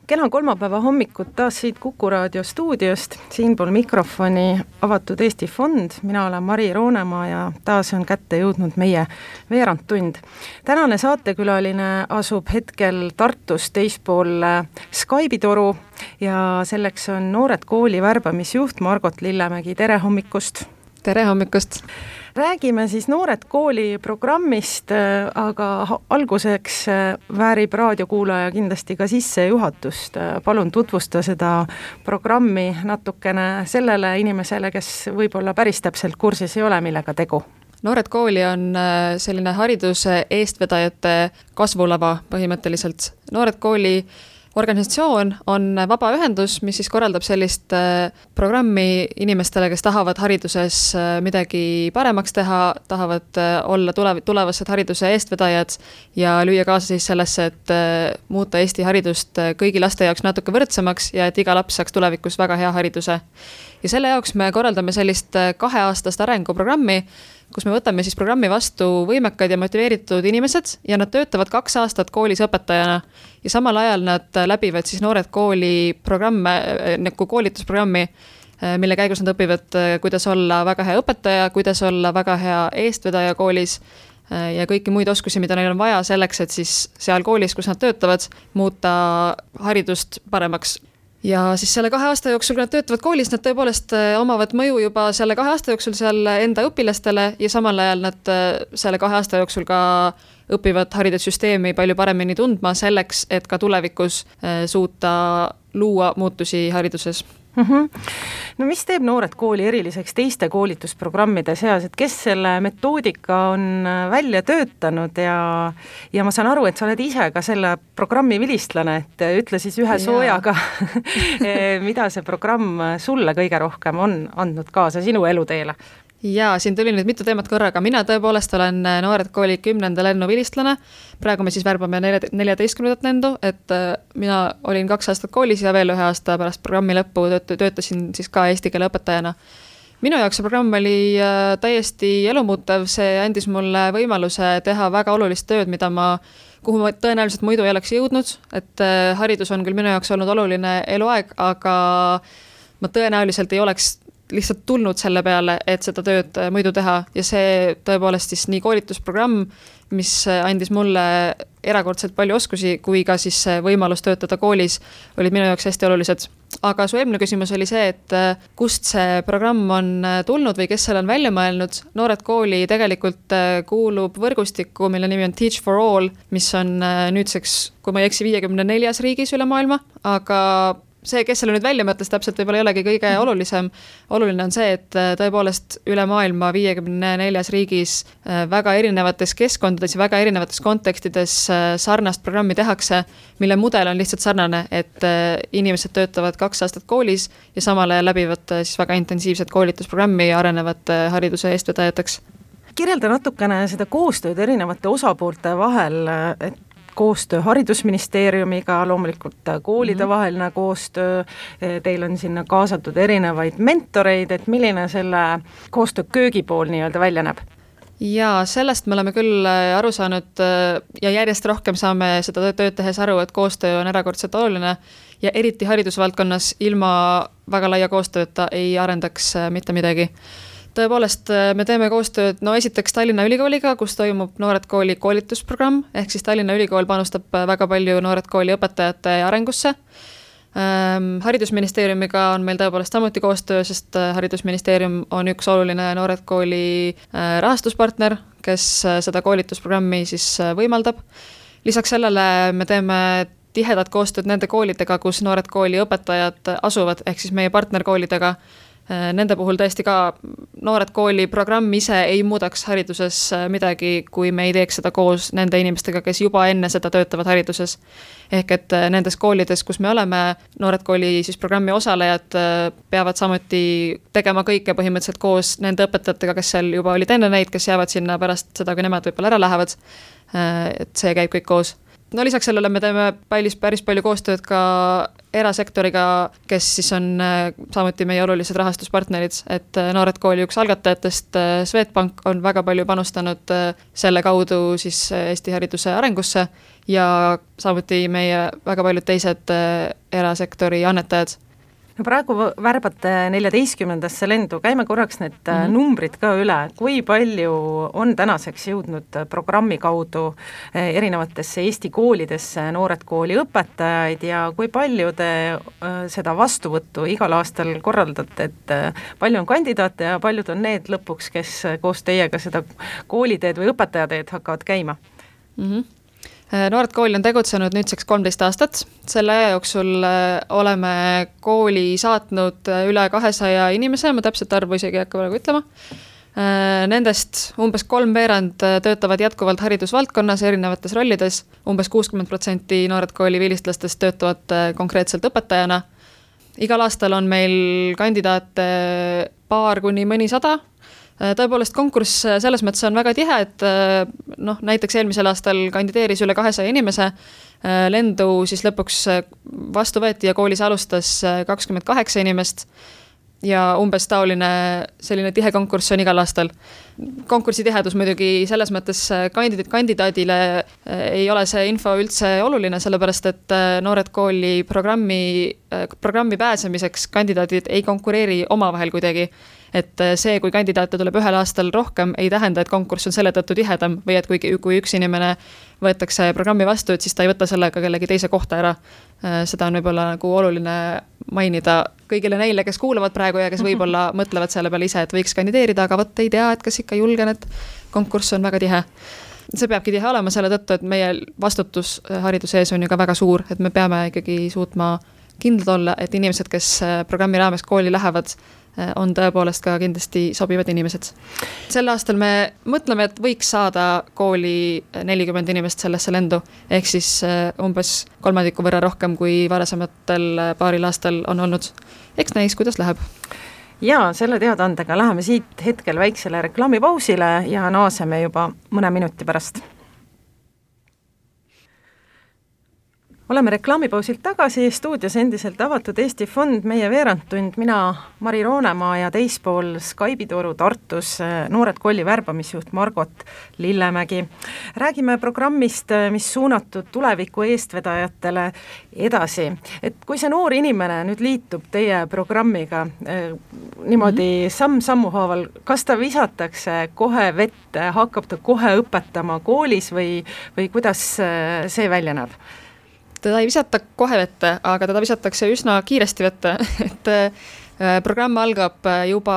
Kena kolmapäeva hommikut taas siit Kuku raadio stuudiost, siinpool mikrofoni Avatud Eesti Fond. Mina olen Mari Roonemaa ja taas on kätte jõudnud meie veerandtund. Tänane saatekülaline asub hetkel Tartus teispool Skype'i toru ja selleks on Noored Kooli värbamisjuht Margot Lillemägi. Tere hommikust! Tere hommikust! Räägime siis Noored Kooli programmist, aga alguseks väärib raadiokuulaja kindlasti ka sissejuhatust. Palun tutvusta seda programmi natukene sellele inimesele, kes võib-olla päris täpselt kursis ei ole, millega tegu. Noored Kooli on selline hariduse eestvedajate kasvulava põhimõtteliselt. Noored Kooli organisatsioon on vabaühendus, mis siis korraldab sellist programmi inimestele, kes tahavad hariduses midagi paremaks teha, tahavad olla tulevased hariduse eestvedajad ja lüüa kaasa siis sellesse, et muuta Eesti haridust kõigi laste jaoks natuke võrdsemaks ja et iga laps saaks tulevikus väga hea hariduse. Ja selle jaoks me korraldame sellist 2-aastast arenguprogrammi, kus me võtame siis programmi vastu võimekad ja motiveeritud inimesed ja nad töötavad 2 aastat koolis õpetajana ja samal ajal nad läbivad siis Noored Kooli programme, nagu koolitusprogrammi, mille käigus nad õpivad, kuidas olla väga hea õpetaja, kuidas olla väga hea eestvedaja koolis ja kõiki muid oskusi, mida neil on vaja selleks, et siis seal koolis, kus nad töötavad, muuta haridust paremaks. Ja siis selle 2 aasta jooksul, kui nad töötavad koolis, nad tõepoolest omavad mõju juba selle 2 aasta jooksul seal enda õpilastele ja samal ajal nad selle 2 aasta jooksul ka õpivad haridussüsteemi palju paremini tundma selleks, et ka tulevikus suuta luua muutusi hariduses. No mis teeb Noored Kooli eriliseks teiste koolitusprogrammide seas, et kes selle metoodika on välja töötanud ja ma saan aru, et sa oled ise ka selle programmi vilistlane, et ütle siis ühe soojaga, mida see programm sulle kõige rohkem on andnud kaasa sinu eluteele? Jaa, siin tuli nüüd mitu teemat korraga. Mina tõepoolest olen Noored Kooli 10. lennu vilistlane. Praegu me siis värbame 14. lendu, et mina olin 2 aastat koolis ja veel 1 aasta pärast programmi lõppu töötasin siis ka eesti keele õpetajana. Minu jaoks see programm oli täiesti elumuutev, see andis mulle võimaluse teha väga olulist tööd, kuhu ma tõenäoliselt muidu ei oleks jõudnud, et haridus on küll minu jaoks olnud oluline eluaeg, aga ma tõenäoliselt ei oleks lihtsalt tulnud selle peale, et seda tööd muidu teha ja see tõepoolest siis nii koolitusprogramm, mis andis mulle erakordselt palju oskusi, kui ka siis võimalus töötada koolis, olid minu jaoks hästi olulised. Aga su eelmine küsimus oli see, et kust see programm on tulnud või kes selle on välja mõelnud. Noored Kooli tegelikult kuulub võrgustikku, mille nimi on Teach for All, mis on nüüdseks, kui ma ei eksi, 54 riigis üle maailma, aga see, kes selle nüüd välja mõtles, täpselt võib-olla ei olegi kõige olulisem. Oluline on see, et tõepoolest üle maailma 54 riigis väga erinevates keskkondades ja väga erinevates kontekstides sarnast programmi tehakse, mille mudel on lihtsalt sarnane, et inimesed töötavad 2 aastat koolis ja samal ajal läbivad siis väga intensiivset koolitusprogrammi ja arenevad hariduse eestvedajateks. Kirjelda natukene seda koostööd erinevate osapoolte vahel, et koostöö haridusministeeriumiga, loomulikult koolide vaheline koostöö, teil on sinna kaasatud erinevaid mentoreid, et milline selle koostöö köögipool nii-öelda välja näeb? Ja sellest me oleme küll aru saanud ja järjest rohkem saame seda tööd tehes aru, et koostöö on erakordselt oluline ja eriti haridusvaldkonnas ilma väga laia koostööta ei arendaks mitte midagi. Tõepoolest, me teeme koostööd, esiteks Tallinna Ülikooliga, kus toimub Noored Kooli koolitusprogramm, ehk siis Tallinna Ülikool panustab väga palju Noored Kooli õpetajate arengusse. Haridusministeeriumiga on meil tõepoolest samuti koostöö, sest Haridusministeerium on üks oluline Noored Kooli rahastuspartner, kes seda koolitusprogrammi siis võimaldab. Lisaks sellele me teeme tihedat koostööd nende koolidega, kus Noored Kooli õpetajad asuvad, ehk siis meie partnerkoolidega. Nende puhul tõesti ka Noored Kooli programm ise ei muudaks hariduses midagi, kui me ei teeks seda koos nende inimestega, kes juba enne seda töötavad hariduses. Ehk et nendes koolides, kus me oleme, Noored Kooli siis programmi osalejad peavad samuti tegema kõike põhimõtteliselt koos nende õpetajatega, kes seal juba olid enne neid, kes jäävad sinna pärast seda, kui nemad võib-olla ära lähevad. Et see käib kõik koos. no lisaks sellele me teeme päris palju koostööd ka erasektoriga, kes siis on samuti meie olulised rahastuspartnerid, et Noored Kooli üks algatajatest, Swedbank, on väga palju panustanud selle kaudu siis Eesti hariduse arengusse ja samuti meie väga paljud teised erasektori annetajad. No praegu värbate 14. lendu, käime korraks need numbrid ka üle, kui palju on tänaseks jõudnud programmi kaudu erinevatesse Eesti koolidesse Noored Kooli õpetajaid ja kui palju te seda vastuvõttu igal aastal korraldate, et palju on kandidaate ja paljud on need lõpuks, kes koos teiega seda kooliteed või õpetajateed hakkavad käima? Noored Kooli on tegutsenud nüüdseks 13 aastat. Selle aja jooksul oleme kooli saatnud üle 200 inimese, ma täpselt arvu isegi ei hakka praegu ütlema. Nendest umbes 3/4 töötavad jätkuvalt haridusvaldkonnas erinevates rollides. Umbes 60% Noored Kooli vilistlastest töötavad konkreetselt õpetajana. Igal aastal on meil kandidaate paar kuni mõni 100. Tõepoolest konkurss selles mõttes on väga tihe, et näiteks eelmisel aastal kandideeris üle 200 inimese, lendu siis lõpuks vastu võeti ja koolis alustas 28 inimest ja umbes selline tihe konkurss on igal aastal. Konkursi tihedus muidugi selles mõttes kandidaadile ei ole see info üldse oluline, sellepärast et Noored Kooli programmi pääsemiseks kandidaadid ei konkureeri omavahel kuidagi. Et see, kui kandidaate tuleb ühel aastal rohkem, ei tähenda, et konkurss on selle tõttu tihedam või et kui üks inimene võetakse programmi vastu, et siis ta ei võta sellega kellegi teise kohta ära. Seda on võib-olla nagu oluline mainida kõigile neile, kes kuulavad praegu ja kes võib-olla mõtlevad selle peale ise, et võiks kandideerida, aga võtta ei tea, et kas ikka julgen, et konkurss on väga tihe. See peabki tihe olema selle tõttu, et meie vastutus hariduse ees on ju ka väga suur, et me peame ikkagi suutma kindlad olla, et inimesed, kes programmi raames kooli lähevad, on tõepoolest ka kindlasti sobivad inimesed. Sel aastal me mõtleme, et võiks saada kooli 40 inimest sellesse lendu, ehk siis umbes 3% võrra rohkem kui varasematel paaril aastal on olnud. Eks näis, kuidas läheb. Ja selle teadaandega läheme siit hetkel väiksele reklaamipausile ja naaseme juba mõne minuti pärast. Oleme reklaamipausilt tagasi, stuudios endiselt avatud Eesti Fond, meie veerandtund, mina Mari Roonemaa ja teispool Skype'i toru Tartus Noored Kooli värbamisjuht Margot Lillemägi. Räägime programmist, mis suunatud tuleviku eestvedajatele edasi. Et kui see noor inimene nüüd liitub teie programmiga niimoodi samm-sammu haaval, kas ta visatakse kohe vette, hakkab ta kohe õpetama koolis või kuidas see välja näeb? Teda ei visata kohe vette, aga teda visatakse üsna kiiresti vette, et programm algab juba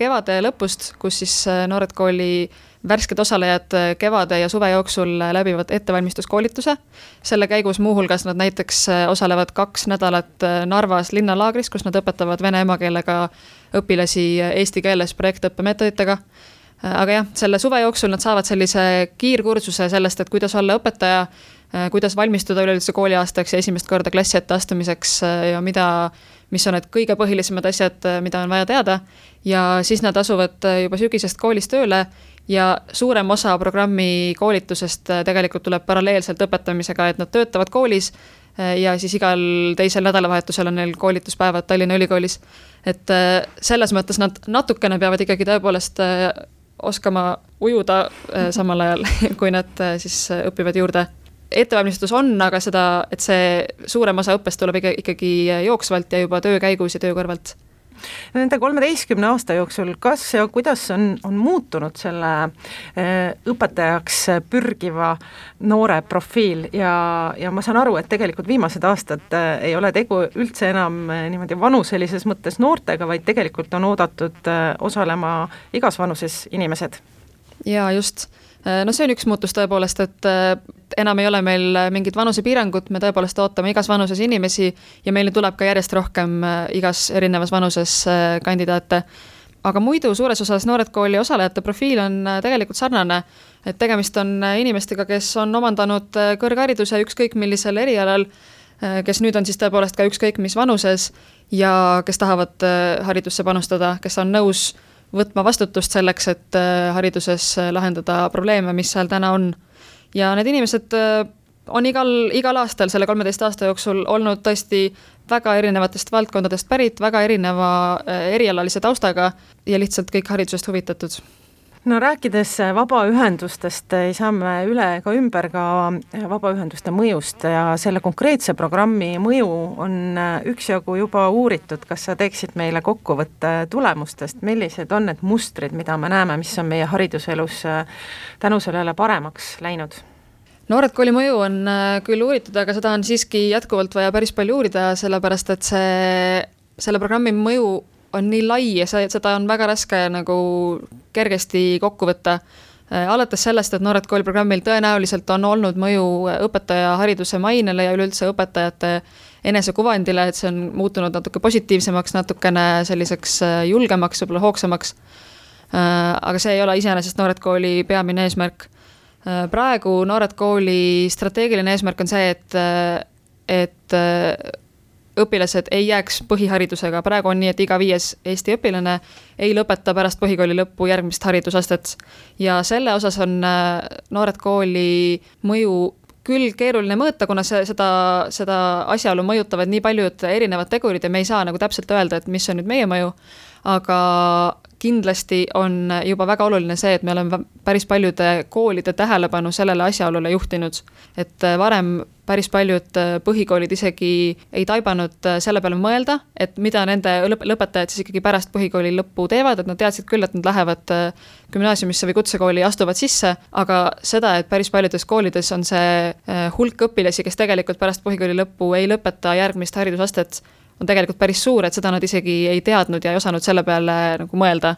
kevade lõpust, kus siis Noored Kooli värsked osalejad kevade ja suve jooksul läbivad ettevalmistuskoolituse. Selle käigus muuhulgas nad näiteks osalevad 2 nädalat Narvas linnalaagris, kus nad õpetavad vene emakeelega õpilasi eesti keeles projektõppemeetoditega. Aga jah, selle suve jooksul nad saavad sellise kiirkursuse sellest, et kuidas olla õpetaja, kuidas valmistuda üleüldse kooliaastaks ja esimest korda klassi ette astumiseks ja mis on need kõige põhilisemad asjad, mida on vaja teada. Ja siis nad asuvad juba sügisest koolis tööle ja suurem osa programmi koolitusest tegelikult tuleb paralleelselt õpetamisega, et nad töötavad koolis ja siis igal teisel nädalavahetusel on neil koolituspäevad Tallinna Ülikoolis. Et selles mõttes nad natukene peavad ikkagi tõepoolest oskama ujuda samal ajal, kui nad siis õpivad juurde. Ettevalmistus on, aga et see suurem osa õppest tuleb ikkagi jooksvalt ja juba töö käigus ja töö kõrvalt. Nende 13 aasta jooksul, kas ja kuidas on muutunud selle õpetajaks pürgiva noore profiil ja ma saan aru, et tegelikult viimased aastad ei ole tegu üldse enam niimoodi vanuselises mõttes noortega, vaid tegelikult on oodatud osalema igas vanuses inimesed? Ja just. No see on üks muutus tõepoolest, et enam ei ole meil mingid vanusepiirangud, me tõepoolest ootame igas vanuses inimesi ja meile tuleb ka järjest rohkem igas erinevas vanuses kandidaate. Aga muidu suures osas Noored Kooli osalejate profiil on tegelikult sarnane, et tegemist on inimestega, kes on omandanud kõrghariduse ükskõik millisel erialal, kes nüüd on siis tõepoolest ka ükskõik mis vanuses ja kes tahavad haridusse panustada, kes on nõus võtma vastutust selleks, et hariduses lahendada probleeme, mis seal täna on. Ja need inimesed on igal aastal selle 13 aasta jooksul olnud tõesti väga erinevatest valdkondadest pärit, väga erineva erialalise taustaga ja lihtsalt kõik haridusest huvitatud. No rääkides vabaühendustest, ei saa me üle ega ümber ka vabaühenduste mõjust ja selle konkreetse programmi mõju on üksjagu juba uuritud. Kas sa teeksid meile kokkuvõtte tulemustest, millised on need mustrid, mida me näeme, mis on meie hariduselus tänu sellele paremaks läinud? Noored Kooli mõju on küll uuritud, aga seda on siiski jätkuvalt vaja päris palju uurida, sellepärast et selle programmi mõju on nii lai ja seda on väga raske nagu kergesti kokku võtta. Alates sellest, et Noored Kooli programmil tõenäoliselt on olnud mõju õpetaja hariduse mainele ja üleüldse õpetajate enesekuvandile, et see on muutunud natuke positiivsemaks, natukene selliseks julgemaks, võib-olla hoogsamaks. Aga see ei ole iseenesest Noored Kooli peamine eesmärk. Praegu Noored Kooli strateegiline eesmärk on see, et õpilased ei jääks põhiharidusega. Praegu on nii, et iga 5 Eesti õpilane ei lõpeta pärast põhikooli lõppu järgmist haridusastet. Ja selle osas on Noored Kooli mõju küll keeruline mõõta, kuna seda asjaolu mõjutavad nii paljud erinevad tegurid ja me ei saa nagu täpselt öelda, et mis on nüüd meie mõju, aga kindlasti on juba väga oluline see, et me oleme päris paljude koolide tähelepanu sellele asjaolule juhtinud. Et varem päris paljud põhikoolid isegi ei taibanud selle peale mõelda, et mida nende lõpetajad siis ikkagi pärast põhikooli lõppu teevad, et nad teadsid küll, et nad lähevad gümnaasiumisse või kutsekooli astuvad sisse, aga seda, et päris paljudes koolides on see hulk õpilasi, kes tegelikult pärast põhikooli lõppu ei lõpeta järgmist haridusastet, on tegelikult päris suur, et seda nad isegi ei teadnud ja ei osanud selle peale nagu mõelda.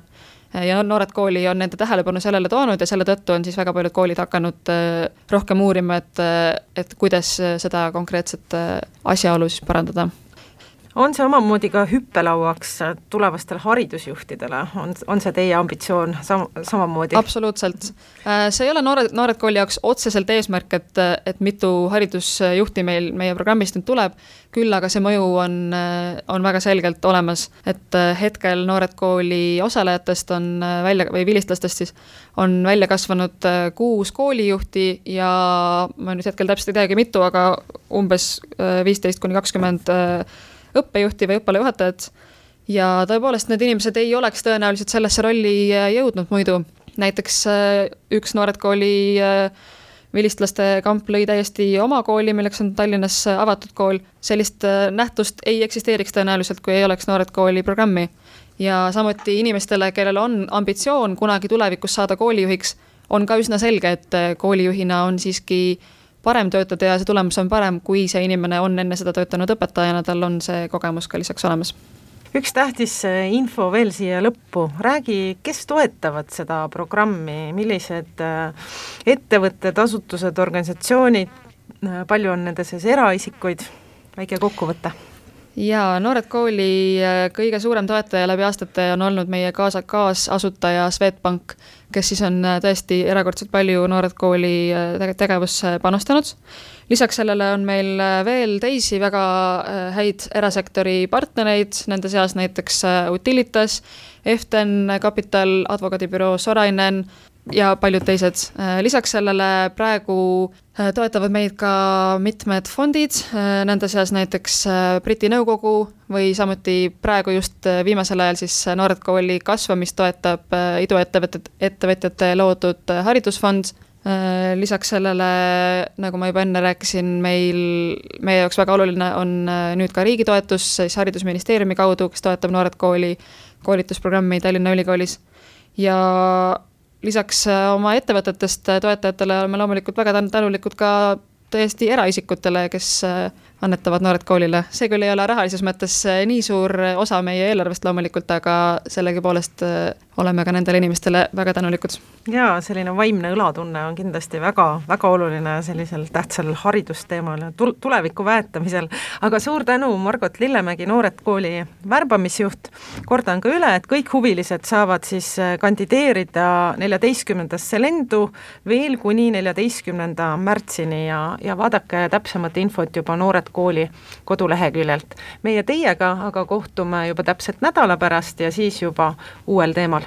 Ja Noored Kooli on nende tähelepanu sellele toonud ja selle tõttu on siis väga paljud koolid hakanud rohkem uurima, et kuidas seda konkreetset asjaolu siis parandada. On see omamoodi ka hüppelauaks tulevastel haridusjuhtidele? On see teie ambitsioon samamoodi? Absoluutselt. See ei ole Noored Kooli jaoks otseselt eesmärk, et mitu haridusjuhti meie programmist nüüd tuleb, küll aga see mõju on väga selgelt olemas, et hetkel Noored Kooli osalejatest või vilistlastest siis on välja kasvanud 6 koolijuhti ja ma nüüd hetkel täpselt ei teagi mitu, aga umbes 15-20 õppejuhti või õppealajuhatajad ja tõepoolest need inimesed ei oleks tõenäoliselt sellesse rolli jõudnud muidu. Näiteks üks Noored Kooli vilistlaste kamp lõi täiesti oma kooli, milleks on Tallinnas avatud kool. Sellist nähtust ei eksisteeriks tõenäoliselt, kui ei oleks Noored Kooli programmi. Ja samuti inimestele, kellel on ambitsioon kunagi tulevikus saada koolijuhiks, on ka üsna selge, et koolijuhina on siiski parem töötada ja see tulemus on parem, kui see inimene on enne seda töötanud õpetajana, tal on see kogemus ka lisaks olemas. Üks tähtis info veel siia lõppu. Räägi, kes toetavad seda programmi, millised ettevõtted, asutused, organisatsioonid, palju on nende sees eraisikuid, väike kokkuvõte? Ja Noored Kooli kõige suurem toetaja läbi aastate on olnud meie kaasasutaja Swedbank, kes siis on tõesti erakordselt palju Noored Kooli tegevusse panustanud. Lisaks sellele on meil veel teisi väga häid erasektori partnereid, nende seas näiteks Utilitas, Eften Capital, advokaadibüroo Sorainen ja paljud teised. Lisaks sellele praegu toetavad meid ka mitmed fondid, nende seas näiteks Briti nõukogu või samuti praegu just viimasel ajal siis Noored Kooli kasvamist toetab iduettevõtjate loodud haridusfond. Lisaks sellele, nagu ma juba enne rääkisin, meie jaoks väga oluline on nüüd ka riigi toetus siis haridusministeeriumi kaudu, kes toetab Noored Kooli koolitusprogrammi Tallinna Ülikoolis. Ja lisaks oma ettevõtetest toetajatele oleme loomulikult väga tänulikud ka täiesti eraisikutele, kes annetavad Noored Koolile. See küll ei ole rahalises mõttes nii suur osa meie eelarvest loomulikult, aga sellegipoolest oleme ka nendele inimestele väga tänulikud. Jaa, selline vaimne õlatunne on kindlasti väga, väga oluline sellisel tähtsal haridusteemal ja tuleviku väetamisel. Aga suur tänu, Margot Lillemägi, Noored Kooli värbamisjuht. Kordan ka üle, et kõik huvilised saavad siis kandideerida 14. lendu veel kuni 14. märtsini ja vaadake täpsemat infot juba Noored Kooli koduleheküljelt. Meie teiega aga kohtume juba täpselt nädala pärast ja siis juba uuel teemal.